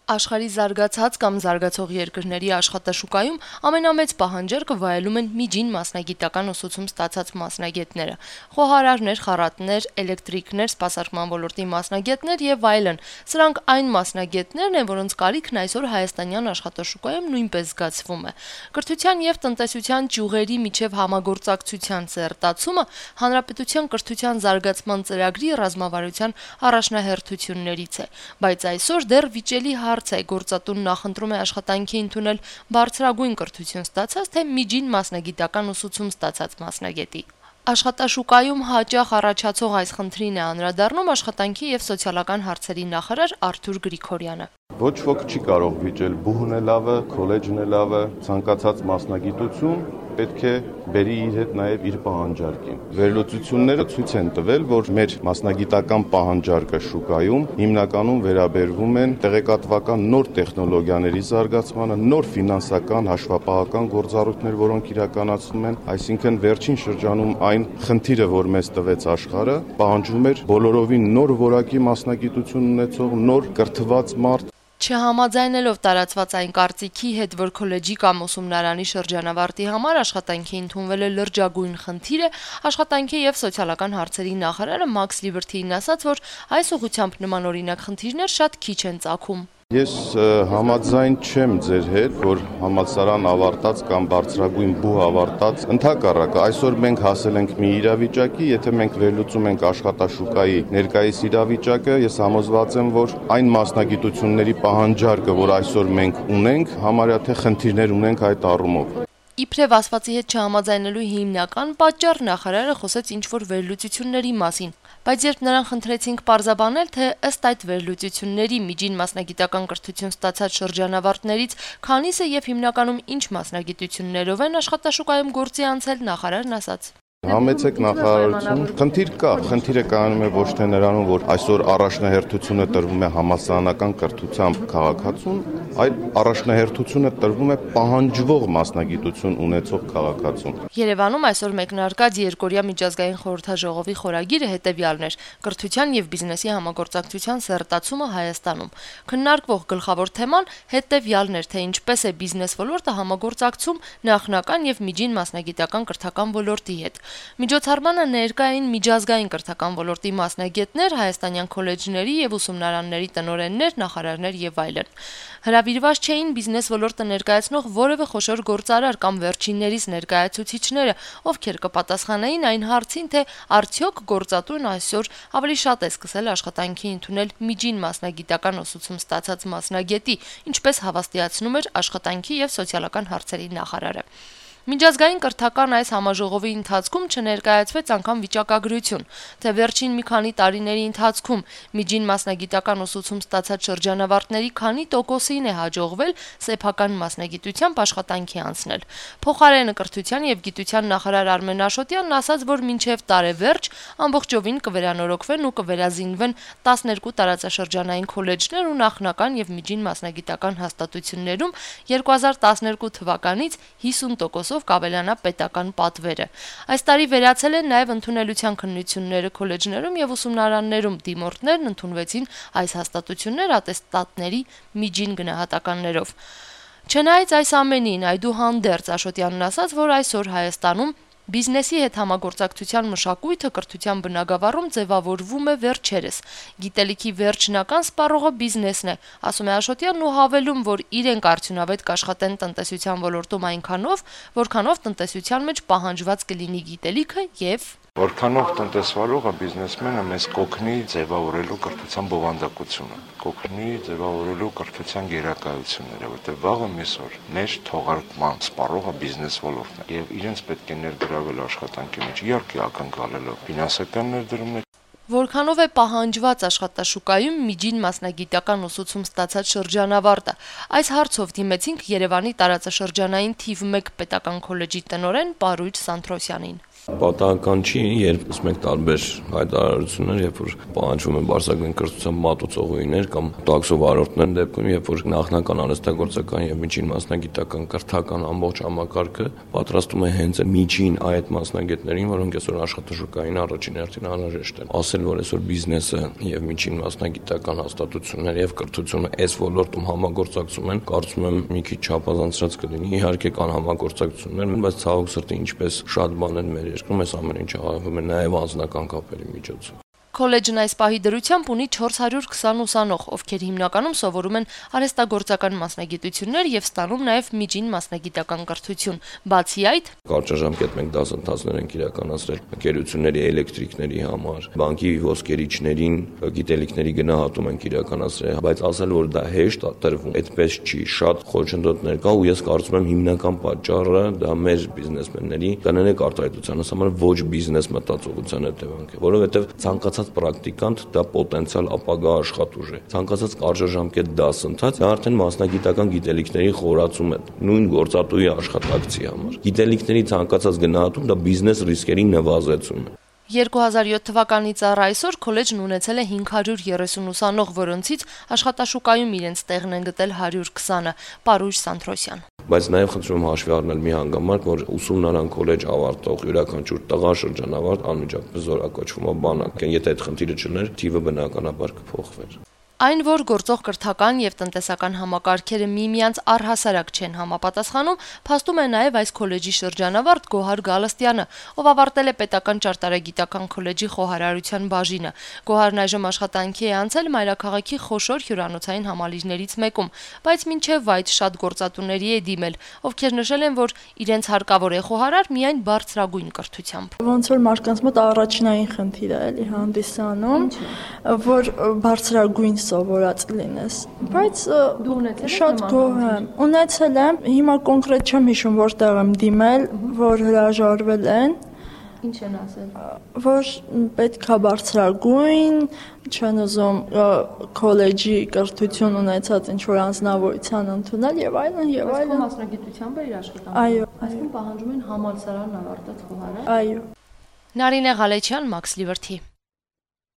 Աշխարհի զարգացած կամ զարգացող երկրների աշխատաշուկայում ամենամեծ պահանջարկը վայելում են միջին մասնագիտական ուսուցում ստացած մասնագետները՝ խոհարարներ, խառատներ, էլեկտրիկներ, սպասարկման ոլորտի մասնագետներ եւ այլն։ Սրանք այն մասնագետներն են, որոնց կարիքն այսօր հայաստանյան աշխատաշուկայում նույնպես զգացվում է։ Կրթության եւ տնտեսության ճյուղերի միջև համագործակցության սերտացումը հանրապետության կրթության զարգացման ծրագրի ռազմավարության առաջնահերթություններից է, բայց այսօր դեռ վիճելի հարց է գործատուն նախընտրում է աշխատանքի ընդունել բարձրագույն կրթություն ստացած, թե միջին մասնագիտական ուսուցում ստացած մասնագետի։ Աշխատաշուկայում հաճախ առաջացող այս խնդրին է անդրադառնում աշխատանքի եւ սոցիալական հարցերի նախարար Արթուր Գրիգորյանը։ Ոչ ոք չի կարող վիճել բուհն է լավը, քոլեջն է լավը, ցանկացած մասնագիտություն պետք է բերի իր հետ նաև իր պահանջարկին։ Վերլուծությունները ցույց են տվել, որ մեր մասնագիտական պահանջարկը շուկայում հիմնականում վերաբերվում են տեղեկատվական նոր տեխնոլոգիաների զարգացմանը, նոր ֆինանսական, հաշվապահական գործառույթներ, որոնք իրականացվում են, այսինքն վերջին շրջանում այն խնդիրը, որ մեզ տվեց աշխարհը, պահանջում էր բոլորովին նոր որակի մասնագիտություն ունեցող, նոր կրթված մարդ։ Չհամաձայնելով տարածված այն կարծիքի հետ, որ քոլեջի կամ ուսումնարանի շրջանավարտի համար աշխատանքի ընդունվել է լրջագույն խնդիր է, աշխատանքի եւ սոցիալական հարցերի նախարարը Մաքս Լիբերթիին ասաց, որ այս ուղղությամբ նմանօրինակ խնդիրներ շատ քիչ են ծագում։ Ես համաձայն չեմ ձեր հետ, որ համալսարան ավարտած կամ բարձրագույն բուհ ավարտած, ընդհակառակը այսօր մենք հասել ենք մի իրավիճակի, եթե մենք վերլուծում ենք աշխատաշուկայի ներկայիս իրավիճակը, ես համոզված եմ, որ այն մասնագիտությունների պահանջարկը, որ այսօր մենք ունենք, համարյա թե խնդիրներ ունենք այդ առումով։ Իբրև ասվածի հետ չհամաձայնելու հիմնական պատճառ նախարարը խոսեց ինչ-որ վերլուծությունների մասին, բայց երբ նրան խնդրեցինք պարզաբանել, թե ըստ այդ վերլուծությունների միջին մասնագիտական կրթություն ստացած շրջանավարտներից քանիսը եւ հիմնականում ինչ մասնագիտություններով են աշխատաշուկայում գործի անցել, նախարարն ասաց. Համեցեք նախարարություն, խնդիր կա, խնդիրը կայանում է ոչ թե նրանում, որ այսօր առաջնահերթությունը տրվում է համալսարանական կրթությամբ քաղաքացուն, այլ առաջնահերթությունը տրվում է պահանջվող մասնագիտություն ունեցող քաղաքացուն։ Երևանում այսօր մեկնարկած երկօրյա միջազգային խորհրդաժողովի խորագիրը հետևյալն էր՝ կրթության եւ բիզնեսի համագործակցության սերտացումը Հայաստանում։ Քննարկվող գլխավոր թեման հետևյալն էր, թե ինչպես է բիզնես ոլորտը համագործակցում նախնական եւ միջին մասնագիտական կրթական ոլորտի հետ։ Միջոցառմանը ներկա էին միջազգային կրթական ոլորտի մասնագետներ, հայաստանյան քոլեջների եւ ուսումնարանների տնօրեններ, նախարարներ եւ այլն։ Հրավիրված չէին բիզնես ոլորտը ներկայացնող որևէ խոշոր գործարար կամ վերջիններիս ներկայացուցիչները, ովքեր կպատասխանեին այն հարցին, թե արդյոք գործատուն այսօր ավելի շատ է սկսել աշխատանքի ընդունել միջին մասնագիտական ուսուցում ստացած մասնագետի, ինչպես հավաստիացնում էր աշխատանքի եւ սոցիալական հարցերի նախարարը։ Միջազգային կրթական այս համաժողովի ընթացքում չներկայացվեց անգամ վիճակագրություն, թե վերջին մի քանի տարիների ընթացքում միջին մասնագիտական ուսուցում ստացած շրջանավարտների քանի տոկոսին է հաջողվել սեփական մասնագիտությամբ աշխատանքի անցնել։ Փոխարենը կրթության եւ գիտության նախարար Արմեն Աշոտյանն ասաց, որ մինչեւ տարեվերջ ամբողջովին կվերանորոգվեն ու կվերազինվեն 12 տարածաշրջանային քոլեջներ ու նախնական եւ միջին մասնագիտական հաստատություններում 2012 թվականից 50% կավելանա պետական պատվերը։ Այս տարի վերացել են նաև ընդունելության քննությունները քոլեջներում եւ ուսումնարաններում, դիմորդներն ընդունվեցին այս հաստատություններ ատեստատների միջին գնահատականներով։ Չնայած այս ամենին, այդուհանդերձ Աշոտյանն ասաց, որ այսօր Հայաստանում բիզնեսի հետ համագործակցության մշակույթը կրթության բնագավառում ձևավորվում է վերջերս։ Գիտելիքի վերջնական սպառողը բիզնեսն է, ասում է Աշոտյանն ու հավելում, որ իրենք արդյունավետ կաշխատեն տնտեսության ոլորտում այնքանով, որքանով տնտեսության մեջ պահանջված կլինի գիտելիքը եւ որքանով տնտեսվարողը բիզնեսմենը մեզ կօգնի ձևավորելու կրթության բովանդակությունը, կօգնի ձևավորելու կրթության գերակայությունները, որտեղ վաղը միսօր մեր թողարկման սպառողը բիզնես ոլորտն է եւ իրենց պետք է ներգրավել աշխատանքի մեջ, իհարկե ակնկալելով ֆինանսական ներդրումներ։ Որքանով է պահանջված աշխատաշուկայում միջին մասնագիտական ուսուցում ստացած շրջանավարտը։ Այս հարցով դիմեցինք Երևանի տարածաշրջանային թիվ 1 պետական քոլեջի տնօրեն Պարույր Սանթրոսյանին։ Պատահական չի, երբ մենք տարբեր հայտարարություններ, երբ որ պահանջվում են բարձրագույն կրթության մատուցողուհիներ կամ տաքսո վարորդներ դեպքում, երբ որ նախնական արհեստագործական եւ միջին մասնագիտական կրթական ամբողջ համակարգը պատրաստում է հենց միջին այդ մասնագետներին, որոնք այսօր աշխատաշուկային առաջին հերթին անհրաժեշտ են։ Ասել, որ այսօր բիզնեսը եւ միջին մասնագիտական հաստատությունները եւ կրթությունը այս ոլորտում համագործակցում են, կարծում եմ մի քիչ չափազանցած կլինի։ Իհարկե կան համագործակցություններ, բայց ցավոք սրտի ինչպես շատ բաներ մեր երկրում այս ամեն ինչը աղվում է նաեւ անձնական կապերի միջոցով։ Քոլեջն այս պահի դրությամբ ունի 420 ուսանող, ովքեր հիմնականում սովորում են արհեստագործական մասնագիտություններ եւ ստանում նաեւ միջին մասնագիտական կրթություն։ Բացի այդ, կարճաժամկետ մենք դասընթացներ ենք իրականացրել ընկերությունների էլեկտրիկների համար, բանկի ոսկերիչներին գիտելիքների գնահատում ենք իրականացրել, բայց ասել որ դա հեշտ տրվում, այդպես չի, շատ խոչընդոտներ կա ու ես կարծում եմ հիմնական պատճառը դա մեր բիզնեսմենների կանոնիկ արտահայտության համար ոչ բիզնես մտածողության հետևանք է, որովհետեւ ցանկացած պրակտիկանտ դա պոտենցիալ ապագա աշխատուժ է։ Ցանկացած կարճաժամկետ դասընթաց դա արդեն մասնագիտական գիտելիքների խորացում է նույն գործատուի աշխատակցի համար։ Գիտելիքների ցանկացած գնահատում դա բիզնես ռիսկերի նվազեցում է։ 2007 թվականից առ այսօր քոլեջն ունեցել է 530 ուսանող, որոնցից աշխատաշուկայում իրենց տեղն են գտել 120-ը։ Պարույր Սանթրոսյան։ Բայց նաև խնդրում եմ հաշվի առնել մի հանգամանք, որ ուսումնարան քոլեջ ավարտող յուրաքանչյուր տղա շրջանավարտ անմիջապես զորակոչվում է բանակ։ Եթե այդ խնդիրը չլներ, թիվը բնականաբար կփոխվեր։ Այն, որ գործող կրթական եւ տնտեսական համակարգերը միմյանց առհասարակ չեն համապատասխանում, փաստում է նաեւ այս քոլեջի շրջանավարտ Գոհար Գալստյանը, ով ավարտել է պետական ճարտարագիտական քոլեջի խոհարարության բաժինը։ Գոհարն այժմ աշխատանքի է անցել Մայրաքաղաքի խոշոր հյուրանոցային համալիրներից մեկում, բայց մինչև այդ շատ գործատուների է դիմել, ովքեր նշել են, որ իրենց հարկավոր է խոհարար միայն բարձրագույն կրթությամբ։ Ոնց որ մարդկանց մոտ առաջնային խնդիր է էլի հանդիսանում, որ բարձրագույն սովորած լինես, բայց շատ գոհ եմ։ Ունեցել եմ, հիմա կոնկրետ չեմ հիշում որտեղ եմ դիմել, որ հրաժարվել են։ Ինչ են ասել։ Որ պետք է բարձրագույն, չեն ուզում քոլեջի կրթություն ունեցած ինչ-որ անձնավորության ընդունել եւ այլն եւ այլն։ Մասնագիտությամբ է իր աշխատանքը։ Այո։ Այսինքն պահանջում են համալսարան ավարտած խոհարար։ Այո։ Նարինե Ղալեչյան, Մաքս Լիվերթի։